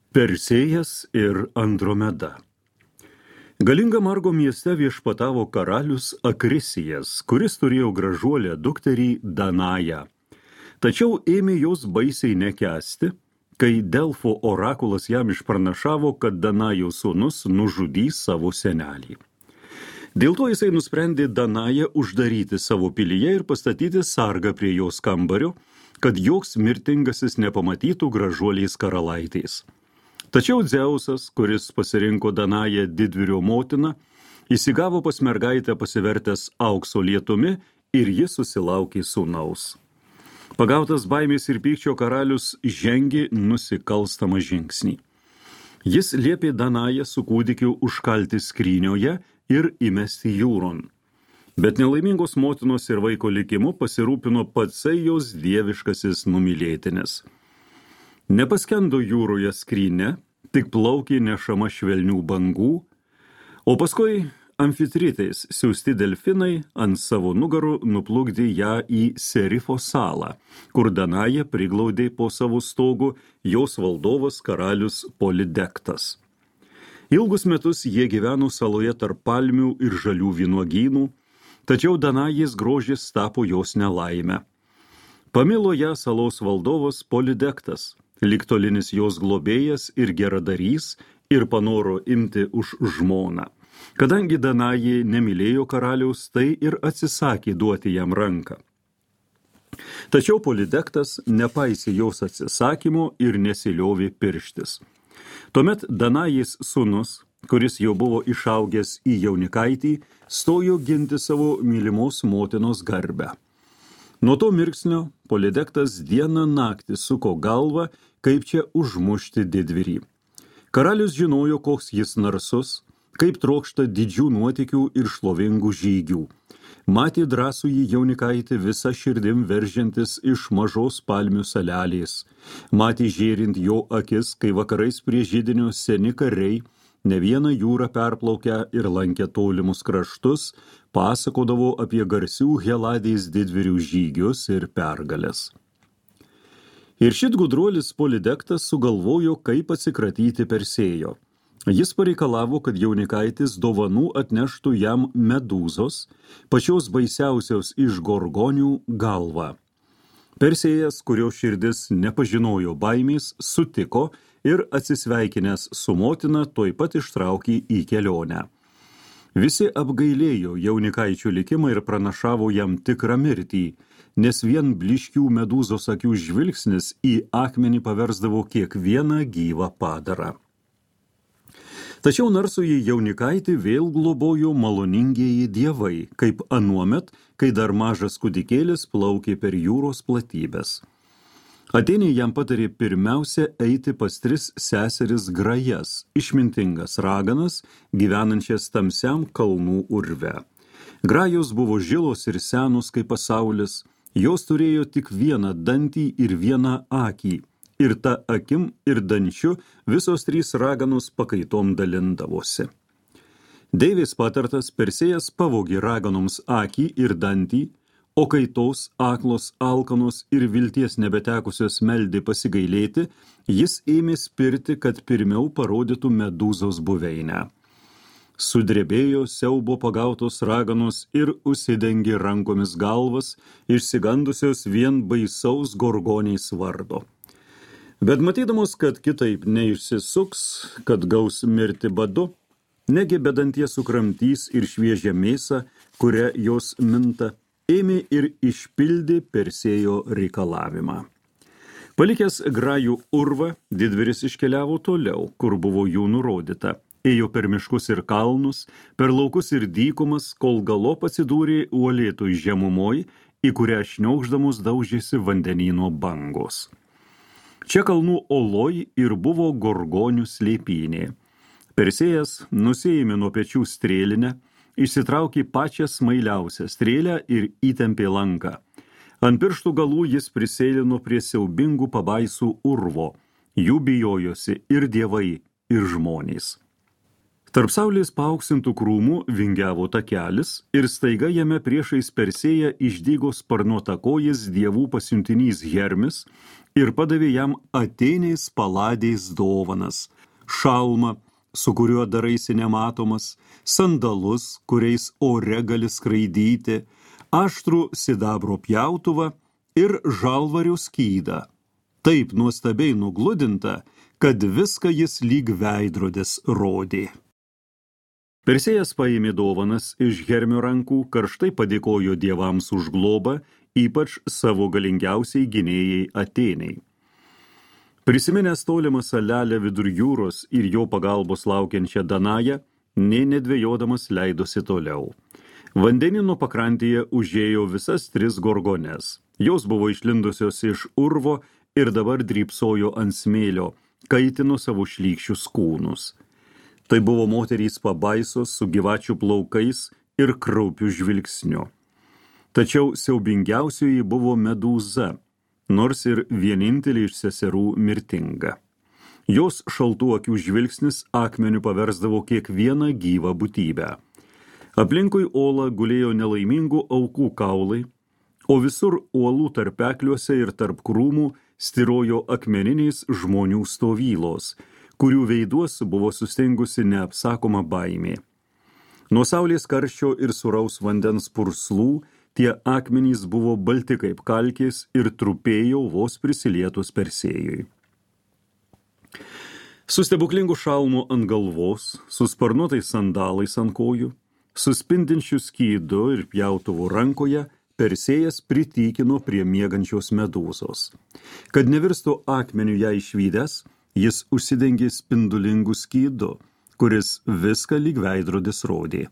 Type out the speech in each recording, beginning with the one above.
Persėjas ir Andromeda. Galingam Argo mieste viešpatavo karalius Akrisijas, kuris turėjo gražuolę dukterį Danają. Tačiau ėmė jos baisiai nekęsti, kai Delfo orakulas jam išpranašavo, kad Danajos sūnus nužudys savo senelį. Dėl to jisai nusprendė Danają uždaryti savo pilyje ir pastatyti sargą prie jos kambario, kad joks mirtingasis nepamatytų gražuoliais karalaitės. Tačiau Dzeusas, kuris pasirinko Danają didvyrio motiną, įsigavo pas mergaitę pasivertęs aukso lietumi ir jis susilaukė sūnaus. Pagautas baimės ir pykčio karalius žengė nusikalstamą žingsnį. Jis liepė Danają su kūdikiu užkalti skrynioje ir įmesti jūron. Bet nelaimingos motinos ir vaiko likimu pasirūpino patsai jos dieviškasis numylėtinis. Nepaskendo jūroje skrynė, tik plaukė nešama švelnių bangų, o paskui amfitritės siųsti delfinai ant savo nugarų nuplukdė ją į Serifo salą, kur Danają priglaudė po savo stogu jos valdovas karalius Polidektas. Ilgus metus jie gyveno saloje tarp palmių ir žalių vynuogynų, tačiau Danajės grožis tapo jos nelaime. Pamilo ją salos valdovas Polidektas, ligtolinis jos globėjas ir geradarys, ir panoro imti už žmoną. Kadangi Danajė nemylėjo karaliaus, tai ir atsisakė duoti jam ranką. Tačiau Polidektas nepaisė jos atsisakymo ir nesiliovė pirštis. Tuomet Danajės sūnus, kuris jau buvo išaugęs į jaunikaitį, stojo ginti savo mylimos motinos garbę. Nuo to mirksnio Polidektas dieną naktį suko galvą, kaip čia užmušti didvyrį. Karalius žinojo, koks jis narsus, kaip trokšta didžių nuotykių ir šlovingų žygių. Matė drąsųjį jaunikaitį visą širdim veržiantis iš mažos palmių salelės. Matė žėrint jo akis, kai vakarais prie židinio seni kariai, ne vieną jūrą perplaukę ir lankę tolimus kraštus, pasakodavo apie garsių Heladės didvyrių žygius ir pergalės. Ir šit gudruolis Polidektas sugalvojo, kaip atsikratyti Persėjo. Jis pareikalavo, kad jaunikaitis dovanų atneštų jam medūzos, pačios baisiausios iš gorgonių galvą. Persėjas, kurio širdis nepažinojo baimės, sutiko ir atsisveikinęs su motina tuoj pat ištraukė į kelionę. Visi apgailėjo jaunikaičio likimą ir pranašavo jam tikrą mirtį, nes vien blyškių medūzos akių žvilgsnis į akmenį paversdavo kiekvieną gyvą padarą. Tačiau narsųjį jaunikaitį vėl globojo maloningieji dievai, kaip anuomet, kai dar mažas kūdikėlis plaukė per jūros platybės. Atėnė jam patarė pirmiausia eiti pas 3 seseris Grajas, išmintingas raganas, gyvenančias tamsiam kalnų urve. Grajos buvo žilos ir senos kaip pasaulis, jos turėjo tik vieną dantį ir vieną akį, ir ta akim ir dančiu visos 3 raganos pakaitom dalindavosi. Deivės patartas Persėjas pavogė raganoms akį ir dantį, o kai tos aklos, alkanos ir vilties nebetekusios meldė pasigailėti, jis ėmė spirti, kad pirmiau parodytų medūzos buveinę. Sudrebėjo siaubo pagautos raganos ir užsidengė rankomis galvas, išsigandusios vien baisaus gorgoniais vardo. Bet matydamos, kad kitaip neišsisuks, kad gaus mirti badu, negi bedantie sukramtys ir šviežią mėsą, kurią jos minta, ėmė ir išpildė Persėjo reikalavimą. Palikęs Grajų urvą, didvyris iškeliavo toliau, kur buvo jų nurodyta. Ėjo per miškus ir kalnus, per laukus ir dykumas, kol galop atsidūrė uolėtoj žemumoj, į kurią šniokšdamos daužėsi vandenyno bangos. Čia kalnų oloj ir buvo gorgonių slėpynė. Persėjas nusiėmė nuo pečių strėlinę, išsitraukė pačią smailiausią strėlę ir įtempė lanką. Ant pirštų galų jis prisėlino prie siaubingų pabaisų urvo. Jų bijojosi ir dievai, ir žmonės. Tarp saulės paauksintų krūmų vingiavo takelis ir staiga jame priešais Persėją išdygo sparnuotakojis dievų pasiuntinys Hermis ir padavė jam Atėnės paladės dovanas, šalmą, su kuriuo daraisi nematomas, sandalus, kuriais ore gali skraidyti, aštrų sidabro pjautuvą ir žalvario skydą. Taip nuostabiai nugludinta, kad viską jis lyg veidrodis rodė. Persėjas paėmė dovanas iš Hermio rankų, karštai padėkojo dievams už globą, ypač savo galingiausiai gynėjai Atėnei. Prisiminęs tolimą salelę vidur jūros ir jo pagalbos laukiančią Danają, nė nedvejodamas leidosi toliau. Vandenino pakrantėje užėjo visas 3 gorgones. Jos buvo išlindusios iš urvo ir dabar drybsojo ant smėlio, kaitino savo šlykščius kūnus. Tai buvo moterys pabaisos su gyvačių plaukais ir kraupiu žvilgsniu. Tačiau siaubingiausioji buvo Medūza, nors ir vienintelė iš seserų mirtinga. Jos šaltų akių žvilgsnis akmeniu paversdavo kiekvieną gyvą būtybę. Aplinkui olą gulėjo nelaimingų aukų kaulai, o visur uolų tarpekliuose ir tarp krūmų styrojo akmeniniais žmonių stovylos, kurių veiduos buvo sustengusi neapsakoma baimė. Nuo saulės karščio ir suraus vandens purslų tie akmenys buvo balti kaip kalkės ir trupėjo vos prisilietus Persėjui. Su stebuklingu šalmu ant galvos, su sparnuotais sandalais ant kojų, su spindinčiu skydu ir pjautuvu rankoje, Persėjas pritykino prie miegančios Medūzos. Kad nevirstų akmeniu ją išvydęs, jis užsidengė spindulingu skydu, kuris viską lyg veidrodis rodė.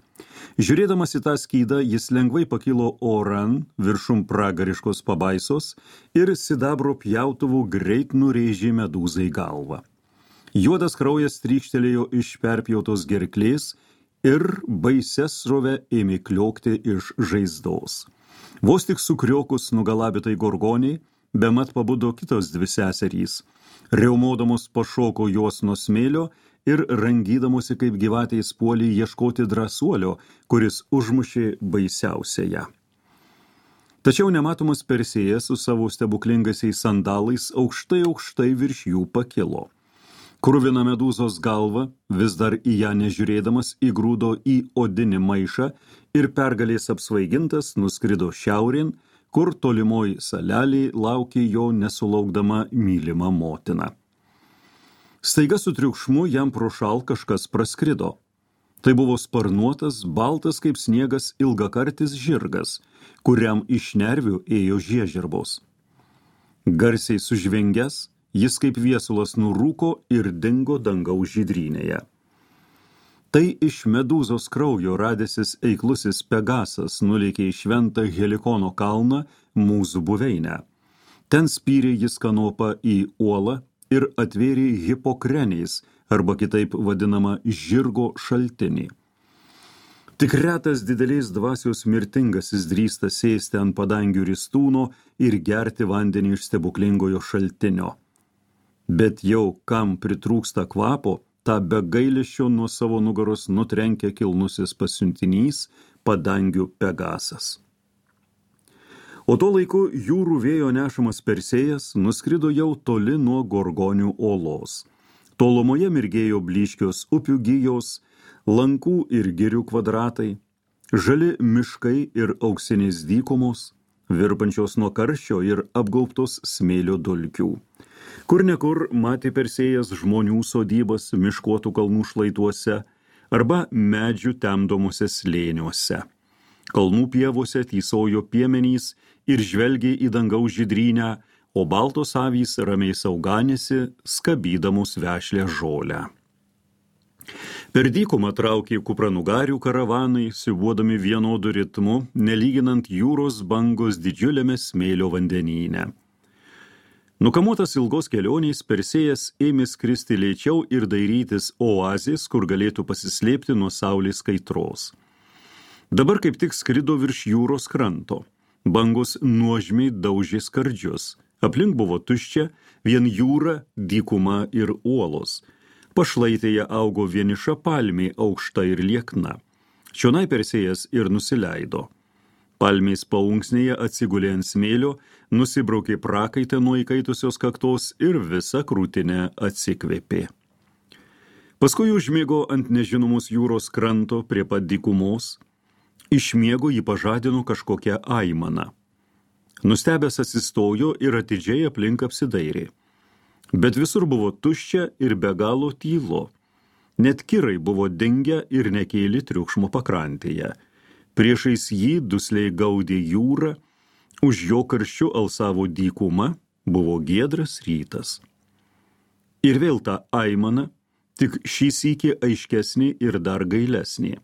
Žiūrėdamas į tą skydą, jis lengvai pakilo oran viršum pragariškos pabaisos ir sidabro pjautuvų greit nurėžė Medūzai galvą. Juodas kraujas trykštelėjo iš perpjautos gerklės ir baises srove ėmė kliokti iš žaizdos. Vos tik sukriokus nugalabytai gorgoniai, bemat pabudo kitos 2 seserys. Riaumodamos pašoko jos nuo smėlio ir rangydamosi kaip gyvatės puolė ieškoti drąsuolio, kuris užmušė baisiausiąją. Tačiau nematomas Persėjas su savo stebuklingasiais sandalais aukštai virš jų pakilo. Kruvina Medūzos galva, vis dar į ją nežiūrėdamas, įgrūdo į odinį maišą ir pergalės apsvaigintas nuskrido šiaurėn, kur tolimoj salelėj laukė jo nesulaukdama mylima motina. Staiga su triukšmu jam pro šal kažkas praskrido. Tai buvo sparnuotas, baltas kaip sniegas ilgakartis žirgas, kuriam iš nervių ėjo žiežirbos. Garsiai sužvengęs, jis kaip viesulas nurūko ir dingo dangaus žydrynėje. Tai iš Medūzos kraujo radęsis eiklusis Pegasas nulėkė į šventą Helikono kalną, mūsų buveinę. Ten spyrė jis kanopą į uolą ir atvėrė Hipokreniais, arba kitaip vadinama žirgo šaltinį. Tik retas didelės dvasios mirtingasis drįsta sėsti ant padangių ristūno ir gerti vandenį iš stebuklingojo šaltinio. Bet jau kam pritrūksta kvapo, tą be gailesčio nuo savo nugaros nutrenkia kilnusis pasiuntinys padangių Pegasas. O tuo laiku jūrų vėjo nešamas Persėjas nuskrido jau toli nuo Gorgonių olos. Tolumoje mirgėjo blyškios upių gijos, lankų ir girių kvadratai, žali miškai ir auksinės dykumos, virpančios nuo karščio ir apgaubtos smėlio dulkių. Kur nekur matė Persėjas žmonių sodybas miškuotų kalnų šlaituose arba medžių temdomuose slėniuose. Kalnų pievose tysojo piemenys ir žvelgė į dangaus žydrynę, o baltos avys ramiai sauganėsi, skabydamos vešlę žolę. Per dykumą traukė kupranugarių karavanai, siuvuodami vienodu ritmu, nelyginant jūros bangos didžiuliame smėlio vandenyne. Nukamuotas ilgos kelionės, Persėjas ėmė skristi lėčiau ir dairytis oazės, kur galėtų pasislėpti nuo saulės kaitros. Dabar kaip tik skrido virš jūros kranto. Bangos nuožmiai daužė skardžius. Aplink buvo tuščia, vien jūra, dykuma ir uolos. Pašlaitėje augo vieniša palmė aukšta ir liekna. Čionai Persėjas ir nusileido. Palmės paunksnėje atsigulė ant smėlio, nusibraukė prakaitę nuo įkaitusios kaktos ir visa krūtinė atsikvėpė. Paskui užmigo ant nežinomos jūros kranto prie pat dykumos. Iš miego jį pažadino kažkokia aimana. Nustebęs atsistojo ir atidžiai aplink apsidairė. Bet visur buvo tuščia ir be galo tylo. Net kirai buvo dingę ir nekėlė triukšmo pakrantėje. Priešais jį dusliai gaudė jūra, už jo karščiu alsavo dykuma, buvo giedras rytas. Ir vėl ta aimana, tik šį sykį aiškesnė ir dar gailesnė.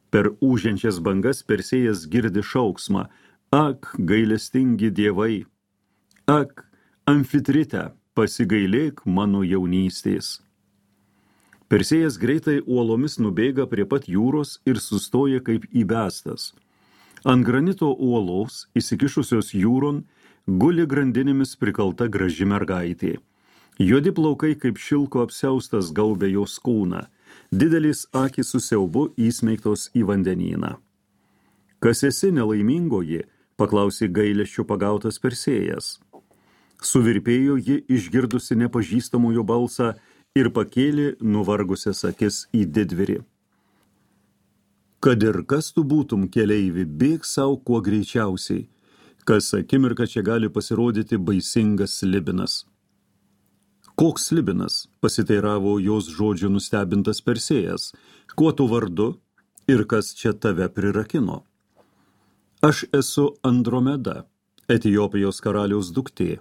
Per ūžiančias bangas Persėjas girdi šauksmą: ak, gailestingi dievai, ak, Amfitrite, pasigailėk mano jaunystės. Persėjas greitai uolomis nubėga prie pat jūros ir sustoja kaip įbestas. Ant granito uolos, įsikišusios jūron, guli grandinėmis prikalta graži mergaitė. Juodi plaukai kaip šilko apsiaustas gaubė jos kūną, didelis akys su siaubu įsmeigtos į vandenyną. Kas esi, nelaimingoji? Paklausė gailesčiu pagautas Persėjas. Suvirpėjo ji išgirdusi nepažįstamojo balsą ir pakėlė nuvargusias akis į didvyrį. Kad ir kas tu būtum, keleivi, bėk savo kuo greičiausiai, kas akimirką čia gali pasirodyti baisingas slibinas. Koks slibinas? Pasiteiravo jos žodžių nustebintas Persėjas. Kuo tu vardu ir kas čia tave prirakino? Aš esu Andromeda, Etiopijos karaliaus duktė,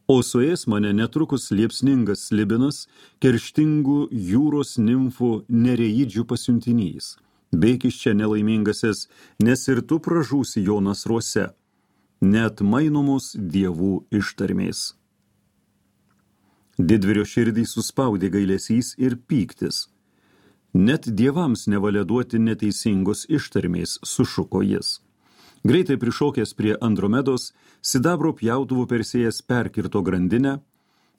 o suės mane netrukus liepsningas slibinas, kerštingų jūros nimfų nereidžių pasiuntinys. Bėk iš čia, nelaimingasis, nes ir tu pražūsi jo nasruose, net mainomos dievų ištarmės. Didvyrio širdį suspaudė gailesys ir pyktis. Net dievams nevalia duoti neteisingos ištarmės, sušuko jis. Greitai prišokęs prie Andromedos, sidabro pjautuvų Persėjas perkirto grandinę,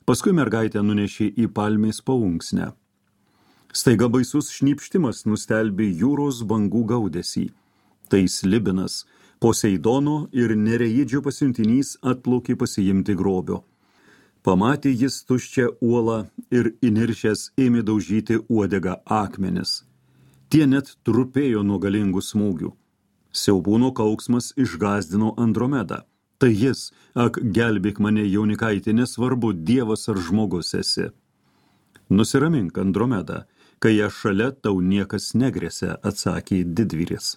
paskui mergaitę nunešė į palmės paunksnę. Staiga baisus šnypštimas nustelbė jūros bangų gaudesį. Tai slibinas, Poseidono ir nereidžio pasiuntinys atplaukė pasiimti grobio. Pamatė jis tuščią uolą ir įniršęs ėmė daužyti uodegą akmenis. Tie net trupėjo nuo galingų smūgių. Siaubūno kauksmas išgąsdino Andromedą. Tai jis: ak, gelbėk mane, jaunikaitė, nesvarbu, dievas ar žmogus esi. Nusiramink, Andromeda, kai aš šalia, tau niekas negresia, atsakė didvyris.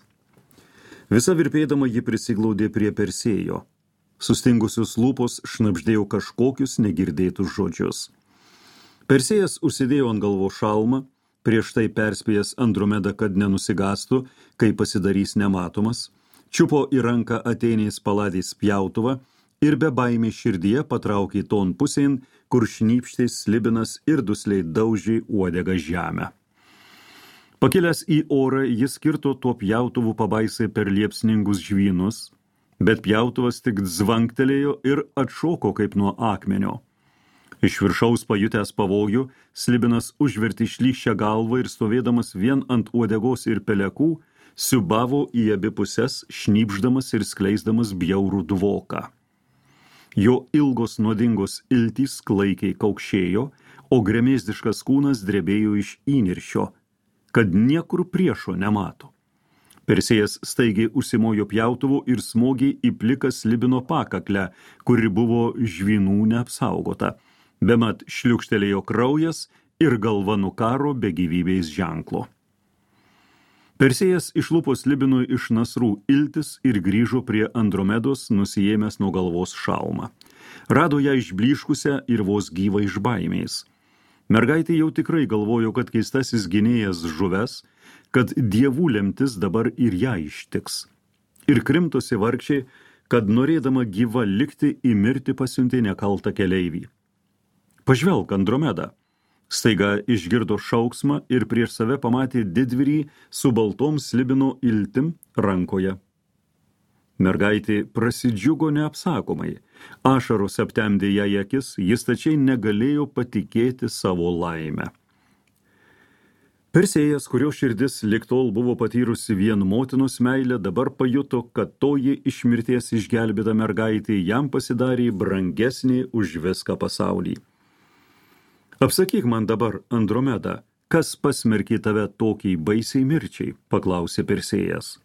Visa virpėdama ji prisiglaudė prie Persėjo. Sustingusios lūpos šnabždėjo kažkokius negirdėtus žodžius. Persėjas užsidėjo ant galvos šalmą, prieš tai perspėjęs Andromedą, kad nenusigastų, kai pasidarys nematomas, čiupo į ranką Atėnės paladės pjautuvą ir be baimės širdyje patraukė ton pusėn, kur šnypštė slibinas ir dusliai daužė uodegą žemę. Pakilęs į orą, jis kirto tuo pjautuvu pabaisai per liepsningus žvynus, bet pjautuvas tik zvanktelėjo ir atšoko kaip nuo akmenio. Iš viršaus pajutęs pavojų, slibinas užvertė šlyščią galvą ir stovėdamas vien ant uodegos ir pelekų, siubavo į abi puses, šnypšdamas ir skleisdamas bjaurų dvoką. Jo ilgos nuodingos iltys klaikiai kaukšėjo, o gremėzdiškas kūnas drebėjo iš įniršio, kad niekur priešo nemato. Persėjas staigiai užsimojo pjautuvu ir smogė į pliką slibino pakaklę, kuri buvo žvynų neapsaugota. Bemat šliukštelėjo kraujas ir galva nukaro be gyvybės ženklo. Persėjas išlupo slibinui iš nasrų iltis ir grįžo prie Andromedos, nusiėmęs nuo galvos šalmą. Rado ją išblyškusią ir vos gyvą iš baimės. Mergaitė jau tikrai galvojo, kad keistasis gynėjas žuves, kad dievų lemtis dabar ir ją ištiks. Ir krimtosi vargšiai, kad norėdama gyva likti, į mirtį pasiuntė nekaltą keleivį. Pažvelk, Andromeda. Staiga išgirdo šauksmą ir prieš save pamatė didvyrį su baltom slibino iltim rankoje. Mergaitė prasidžiugo neapsakomai. Ašaros aptemdė ją akis, jis tačiai negalėjo patikėti savo laimę. Persėjas, kurio širdis lig tol buvo patyrusi vien motinos meilę, dabar pajuto, kad toji iš mirties išgelbėta mergaitė jam pasidarė brangesnė už viską pasaulį. Apsakyk man dabar, Andromeda, kas pasmerkė tave tokiai baisiai mirčiai, paklausė Persėjas.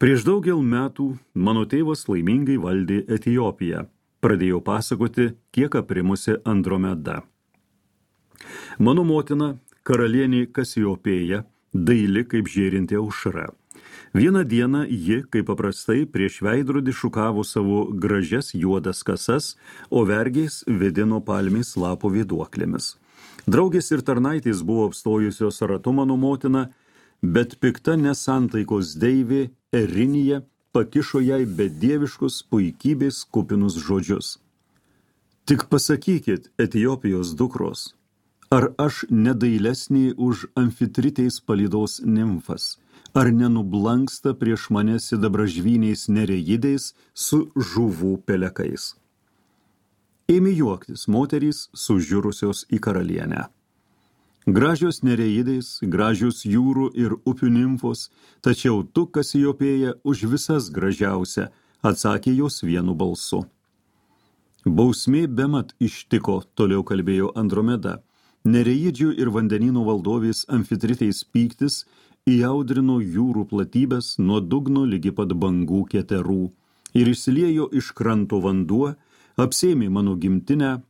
Prieš daugel metų mano tėvas laimingai valdė Etiopiją, pradėjo pasakoti, kiek aprimusi Andromeda. Mano motina, karalienė Kasiopėja, daili kaip žėrinti aušra. Vieną dieną ji, kaip paprastai, prieš veidrodį šukavo savo gražias juodas kasas, o vergės vedino palmės lapo vėduoklėmis. Draugės ir tarnaitės buvo apstojusios ratu mano motiną, bet pikta nesantaikos deivė Erinija pakišo jai bedieviškus puikybės kupinus žodžius. Tik pasakykit, Etiopijos dukros, ar aš nedailesnė už Amfitritės palydos nimfas, ar nenublanksta prieš mane sidabražvyniais nereidais su žuvų pelekais. Ėmė juoktis moterys sužiūrusios į karalienę. Gražios nereidais, gražios jūrų ir upių nimfos, tačiau tu, Kasiopėja, už visas gražiausia, atsakė jos vienu balsu. Bausmė bemat ištiko, toliau kalbėjo Andromeda. Nereidžių ir vandenynų valdovės Amfitritės pyktis įaudrino jūrų platybės nuo dugno ligi pat bangų keterų ir išsiliejo iš kranto vanduo, apsėmė mano gimtinę,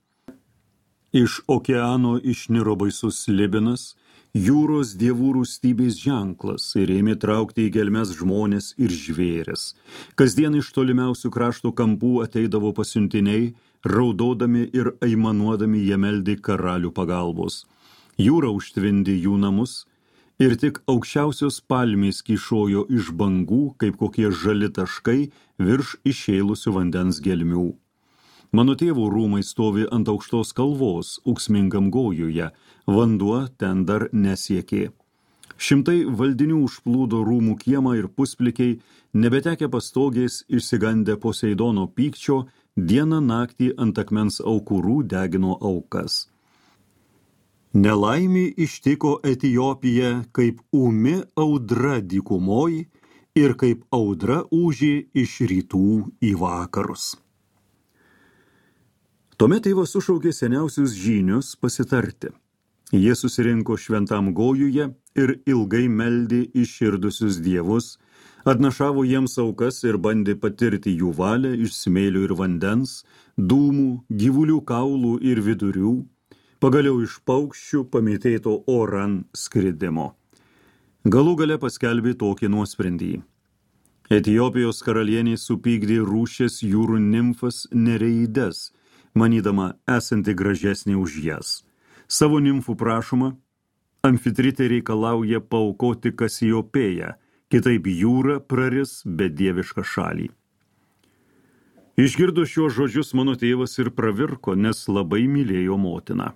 iš okeano išniro baisus slibinas, jūros dievų rūstybės ženklas ir ėmė traukti į gelmes žmonės ir žvėris. Kasdien iš tolimiausių krašto kampų ateidavo pasiuntiniai, raudodami ir aimanuodami jie meldė karalių pagalbos. Jūra užtvindė jų namus ir tik aukščiausios palmės kyšojo iš bangų, kaip kokie žali taškai virš išėlusių vandens gelmių. Mano tėvų rūmai stovi ant aukštos kalvos, ūksmingam gojuje, vanduo ten dar nesiekė. Šimtai valdinių užplūdo rūmų kiemą ir pusplikiai, nebetekę pastogės, išsigandę Poseidono pykčio, dieną naktį ant akmens aukurų degino aukas. Nelaimė ištiko Etiopiją kaip ūmi audra dykumoj ir kaip audra ūžė iš rytų į vakarus. Tuomet tėvas sušaukė seniausius žynius pasitarti. Jie susirinko šventam gojuje ir ilgai meldė iširdusius dievus, atnašavo jiems aukas ir bandė patirti jų valią iš smėlio ir vandens, dūmų, gyvulių kaulų ir vidurių, pagaliau iš paukščių pamėtėto oran skridimo. Galų gale paskelbė tokį nuosprendį. Etiopijos karalienė supykdė rūšės jūrų nimfas nereides, manydama esanti gražesnė už jas. Savo nimfų prašoma, Amfitritė reikalauja paaukoti Kasiopėją, kitaip jūra praris bedievišką šalį. Išgirdo šiuos žodžius mano tėvas ir pravirko, nes labai mylėjo motiną.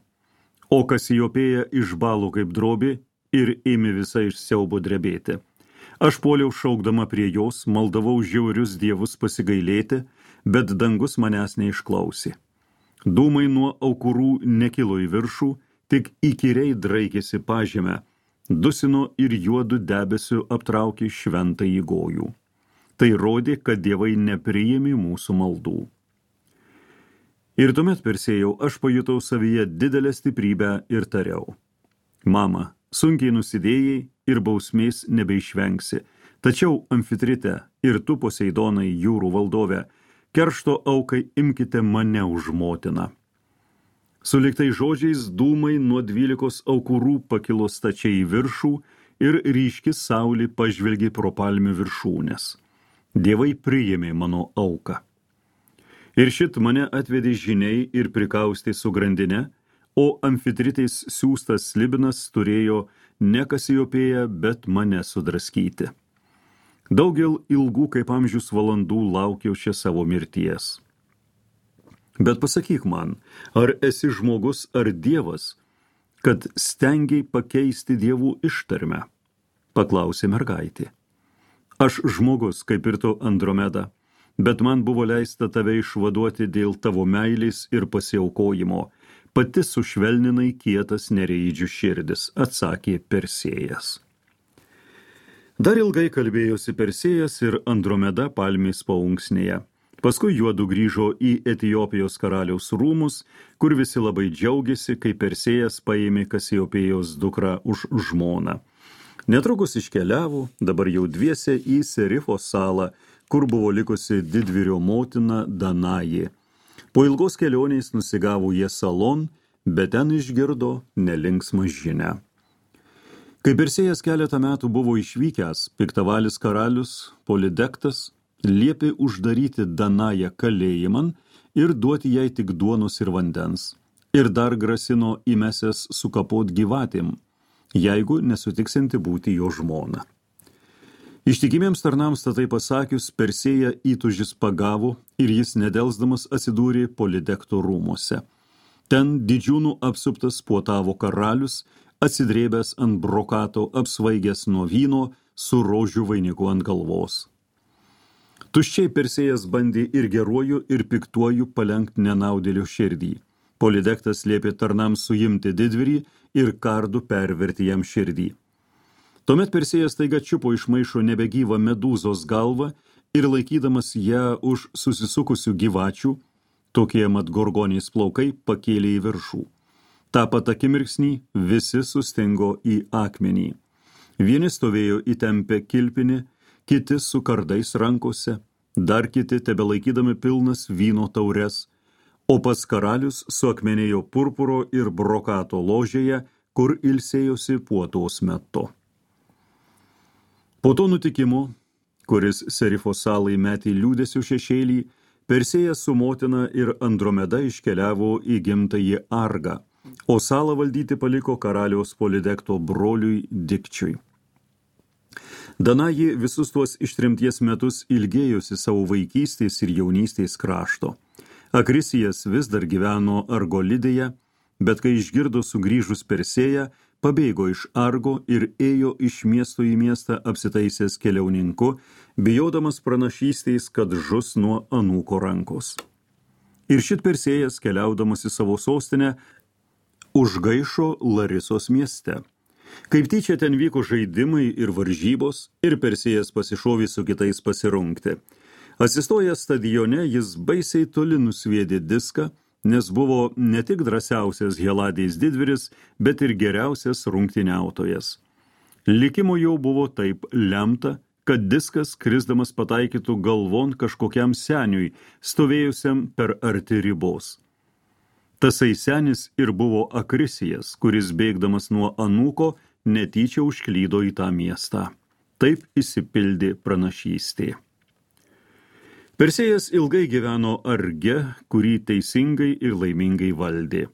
O Kasiopėja išbalo kaip drobė ir ėmė visai iš siaubo drebėti. Aš puoliau šaukdama prie jos, maldavau žiaurius dievus pasigailėti, bet dangus manęs neišklausė. Dūmai nuo aukurų nekilo į viršų, tik įkyriai draikėsi pažemę, dusino ir juodu debesiu aptraukė šventąjį gojų. Tai rodė, kad dievai nepriėmė mūsų maldų. Ir tuomet, Persėjau, aš pajutau savyje didelę stiprybę ir tariau. Mama, sunkiai nusidėjai ir bausmės nebeišvengsi, tačiau Amfitrite ir tu, Poseidonai, jūrų valdove, keršto aukai imkite mane už motiną. Suliktai žodžiais dūmai nuo 12 aukurų pakilo stačiai į viršų ir ryški saulė pažvelgė pro palmių viršūnes. Dievai priėmė mano auką. Ir šit mane atvedė žiniai ir prikaustė su grandine, o Amfitritės siųstas slibinas turėjo ne Kasiopėją, bet mane sudraskyti. Daugel ilgų kaip amžius valandų laukiau čia savo mirties. Bet pasakyk man, ar esi žmogus ar dievas, kad stengiai pakeisti dievų ištarmę? Paklausė mergaitė. Aš žmogus, kaip ir tu, Andromeda, bet man buvo leista tave išvaduoti dėl tavo meilės ir pasiaukojimo, pati sušvelninai kietas nereidžių širdis, atsakė Persėjas. Dar ilgai kalbėjosi Persėjas ir Andromeda palmės paunksnėje. Paskui juodu grįžo į Etiopijos karaliaus rūmus, kur visi labai džiaugiasi, kai Persėjas paėmė Kasiopėjos dukrą už žmoną. Netrukus iškeliavo, dabar jau dviese į Serifo salą, kur buvo likusi didvyrio motina Danajė. Po ilgos kelionės nusigavo jie salon, bet ten išgirdo nelinksmą žinią. Kai Persėjas keletą metų buvo išvykęs, piktavalis karalius Polidektas liepė uždaryti Danają kalėjiman ir duoti jai tik duonos ir vandens. Ir dar grasino įmesęs sukapot gyvatėm, jeigu nesutiksinti būti jo žmona. Ištikimiems tarnams tai pasakius, Persėją įtūžis pagavo ir jis nedelsdamas atsidūrė Polidekto rūmuose. Ten didžiūnų apsuptas puotavo karalius, atsidrėbęs ant brokato, apsvaigęs nuo vyno, su rožių vainiku ant galvos. Tuščiai Persėjas bandė ir geruoju, ir piktuoju palenkt nenaudėlio širdį. Polidektas liepė tarnams suimti didvyrį ir kardu perverti jam širdį. Tuomet Persėjas taiga čiupo iš maišo nebegyvą medūzos galvą ir laikydamas ją už susisukusių gyvačių, tokie mat gorgonės plaukai, pakėlė į viršų. Ta pat akimirksnį visi sustingo į akmenį. Vieni stovėjo įtempę kilpinį, kiti su kardais rankose, dar kiti tebelaikydami pilnas vyno taures, o pats karalius suakmenėjo purpuro ir brokato ložėje, kur ilsėjosi puotos metu. Po to nutikimo, kuris Serifo salai metė liūdesių šešėlį, Persėjas su motina ir Andromeda iškeliavo į gimtąjį Argą, o salą valdyti paliko karaliaus Polidekto broliui Dikčiui. Danajė visus tuos ištrimties metus ilgėjosi savo vaikystės ir jaunystės krašto. Akrisijas vis dar gyveno Argolidėje, bet kai išgirdo sugrįžus Persėją, pabėgo iš Argo ir ėjo iš miesto į miestą apsitaisęs keliauninku, bijodamas pranašystės, kad žus nuo anūko rankos. Ir šit Persėjas, keliaudamas į savo sostinę, užgaišo Larisos mieste. Kaip tyčia ten vyko žaidimai ir varžybos, ir Persėjas pasišovė su kitais pasirungti. Atsistojęs stadione, jis baisiai toli nusviedė diską, nes buvo ne tik drąsiausias Heladės didvyris, bet ir geriausias rungtyniautojas. Likimo jau buvo taip lemta, kad diskas krisdamas pataikytų galvon kažkokiam seniui, stovėjusiam per arti ribos. Tasai senis ir buvo Akrisijas, kuris bėgdamas nuo anūko netyčia užklydo į tą miestą. Taip išsipildė pranašystė. Persėjas ilgai gyveno Arge, kurį teisingai ir laimingai valdė.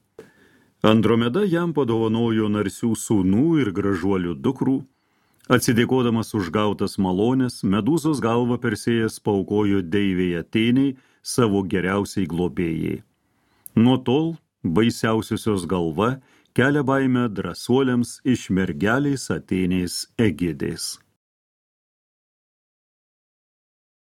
Andromeda jam padovanojo narsių sūnų ir gražuolių dukrų. Atsidėkodamas už gautas malonės, medūzos galvą Persėjas paaukojo deivei Atėnei, savo geriausiai globėjai. Nuo tol baisiausiosios galva kelia baimę drąsuoliams iš mergelės Atėnės Egidės.